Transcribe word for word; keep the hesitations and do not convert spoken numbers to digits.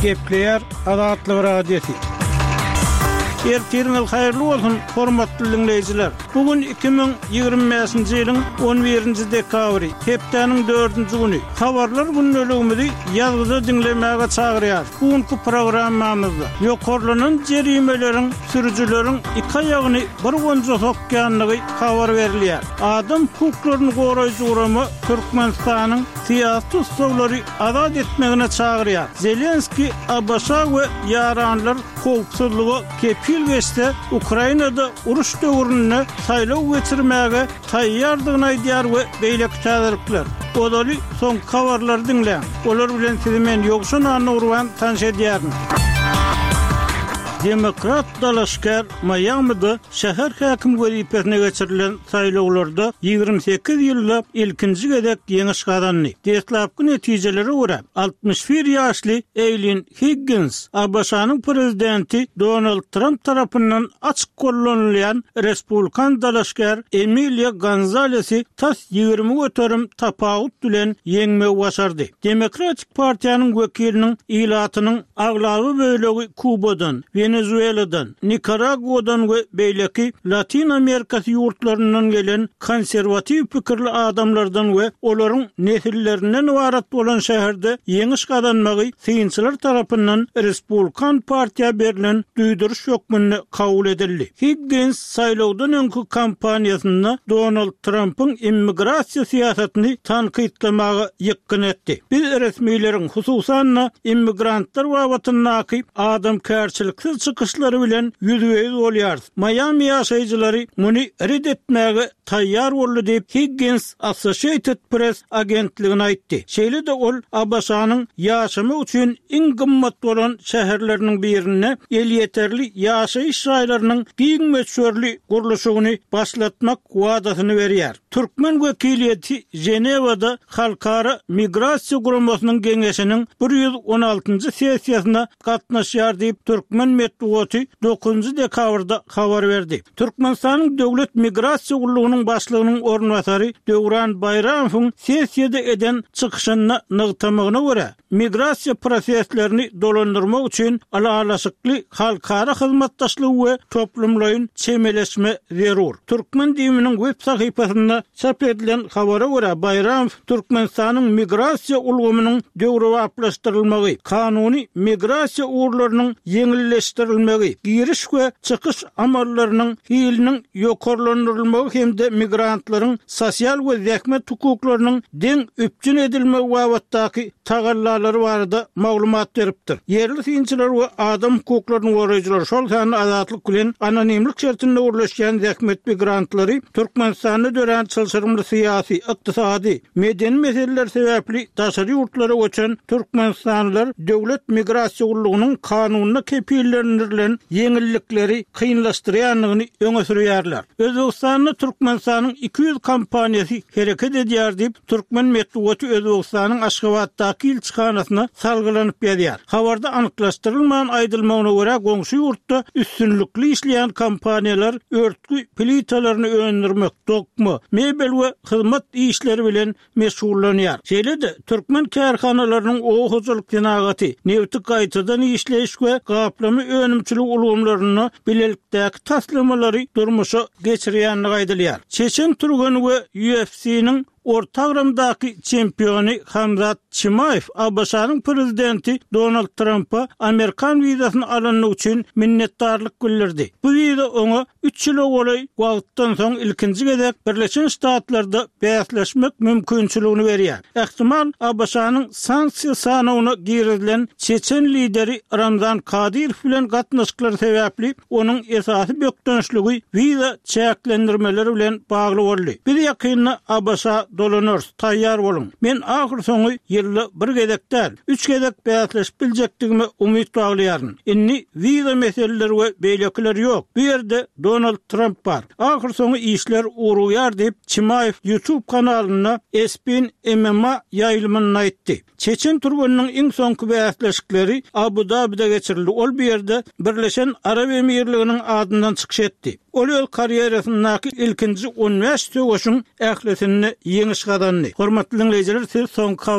Gepleýär Azatlyk Radiosy. Ertiriňiz haýyrly bolsun, hormatly diňleýjiler. Bu gün iki müň ýigrimi bäşinji ýylyň on birinji dekabry, hepdäniň dördünji güni. Habarlar gündeligimizi ýazgyda diňlemäge çagyrýarys. Bu günki programmamyzda ýokarlanan jerimeleriň sürüjileriň iki aýagyny bir gonja sokýandygy habar berilýär. Adam hukuklaryny goraýjy gurama Türkmenistanyň syýasy tussaglary azat etmegine çagyrýar. Zelenskiý ABŞ we ýaranlar howpsuzlyga kepil geçse, Ukrainada uruş döwründe saýlaw geçirmäge taýýardygyny aýdýar we beýleki täzelikler. Ozaly soňky habarlary diňläň. Olar bilen sizi men Ýowşan Annagurban tanyş edýärin. Demokrat dalaşgär Maýamide şäher häkim wezipesine geçirilen saýlawlarda ýigrimi sekiz ýylda ilkinji gezek ýeňiş gazandy. Deslapky netijelere görä, altmyş bir ýaşly Eýlin Higgins ABŞ-nyň prezidenti Donald Tramp tarapyndan açyk gollanylýan respublikan dalaşgär Emiliýa Gonzalesi tas ýigrimi göterim tapawut bilen ýeňmegi başardy. Demokratik partiýanyň wekiliniň ilatynyň aglaba bölegi Kubadan, Wenezueladan, Nikaraguadan we beýleki Latin Amerikasy ýurtlaryndan gelen konserwatiw pikirli adamlardan we olaryň nesillerinden ybarat bolan şäherde ýeňiş gazanmagy synçylar tarapyndan Respublikan partiýa berlen duýduryş hökmünde kabul edildi. Higgins saýlawdan öňki kampaniýasynda Donald Trampyň immigrasiýa syýasatyny tankytlamaga ýykgyn etdi. Biz resmileriň, hususan-da immigrantlar babatyndaky adamkärçiliksiz çykyşlary bilen ýüzbe-ýüz bolýarys. Maýami ýaşaýjylary muny red etmäge taýýar boldy diýip, Higgins Associated Press agentligine aýtdy. Şeýle-de ol ABŞ-nyň ýaşamak üçin iň gymmat bolan şäherleriniň birinde elýeterli ýaşaýyş jaýlarynyň giň möçberli gurluşygyny başlatmak wadasyny berýär. Türkmen wekiliýeti Ženewada Halkara migrasiýa guramasynyň geňeşiniň bir ýüz on altynjy sessiýasyna gatnaşýar diýip, türkmen metbugaty dokuzynjy dekabrda habar berdi. Türkmenistanyň Döwlet migrasiýa gullugynyň başlygynyň orunbasary Döwran Baýramowyň sessiýada eden çykyşynda nygtamagyna görä, migrasiýa proseslerini dolandyrmak üçin ylalaşykly halkara hyzmatdaşlygy we toplumlaýyn çemeleşme zerur. Türkmen DIM-niň web sahypasynda çap edilen habara görä, Baýramow Türkmenistanyň migrasiýa ulgamynyň döwrebaplaşdyrylmagy, kanuny migrasiýa ugurlarynyň ýeňilleşdirilmegi, giriş we çykyş amallarynyň hiliniň ýokarlandyrylmagy hem-de migrantlaryň sosial we zähmet hukuklarynyň deň üpjün edilmegi babatdaky tagallalary barada maglumat beripdir. Ýerli synçylar we adam hukuklaryny goraýjylar, şol sanda Azatlyk bilen anonimlik şertinde gürleşýän zähmet migrantlary Türkmenistanda dörän çylşyrymly syýasy, ykdysady, medeni meseleler sebäpli daşary ýurtlara göçen türkmenistanlylar döwlet migrasiýa gullugynyň kanunda kepillendirilen ýeňillikleri kynlaşdyrýandygyny öňe sürýärler. Özbegistanda Türkmenistanyň iki ýüz kompaniýasy hereket edýär diýip, türkmen metbugaty Özbegistanyň Aşgabatdaky ilçihanasyna salgylanyp ýazýar. Habarda anyklaşdyrylman aýdylmagyna görä, goňşy ýurtda üstünlikli işleýän kompaniýalar örtgi plitalaryny öndürmek, dokma, mebel we hyzmat işleri bilen meşgullanýar. Şeýle-de, türkmen kärhanalarynyň oba hojalyk senagaty, nebti gaýtadan işleýiş we gaplama önümçiligi ulgamlarynda bilelikdäki taslamalary durmuşa geçirýändigi aýdylýar. Çeçen türgeni we U F C-niň orta agramdaky çempiony Hamzat Çimaýew ABŞ-nyň prezidenti Donald Trampa amerikan wizasyny alandygy üçin minnetdarlyk bildirdi. Bu wiza oňa üç ýyla golaý wagtdan soň ilkinji gezek Birleşen Ştatlarda bäsleşmek mümkinçiligini berýär. Ähtimal ABŞ-nyň sanksiýa sanawyna girizilen çeçen lideri Ramzan Kadyrow bilen gatnaşyklary sebäpli onuň esasy bökdençligi wiza çäklendirmeleri bilen bagly boldy. Biz ýakynda ABŞ-a dolanarys, taýýar boluň. Men ahyr soňy ýylda bir gezek däl, üç gezek bäsleşip biljekdigime umyt baglaýaryn. Indi wiza meseleleri we beýlekiler ýok. Bu ýerde Donald Tramp bar. Ahyr soňy işler ugrugýar diýip, Çimaýew YouTube kanalynda Espin M M A ýaýlymynda aýtdy. Çeçen türgeniniň iň soňky bäsleşikleri Abu-Dabide geçirildi. Ol bu ýerde Birleşen Arap Emirliginiň adyndan çykyş etdi. Ol öz karýerasyndaky ilkinji on bäş söweşiň ählisinde ýeňiş gazandy. Hormatly diňleýjiler, siz soňky habar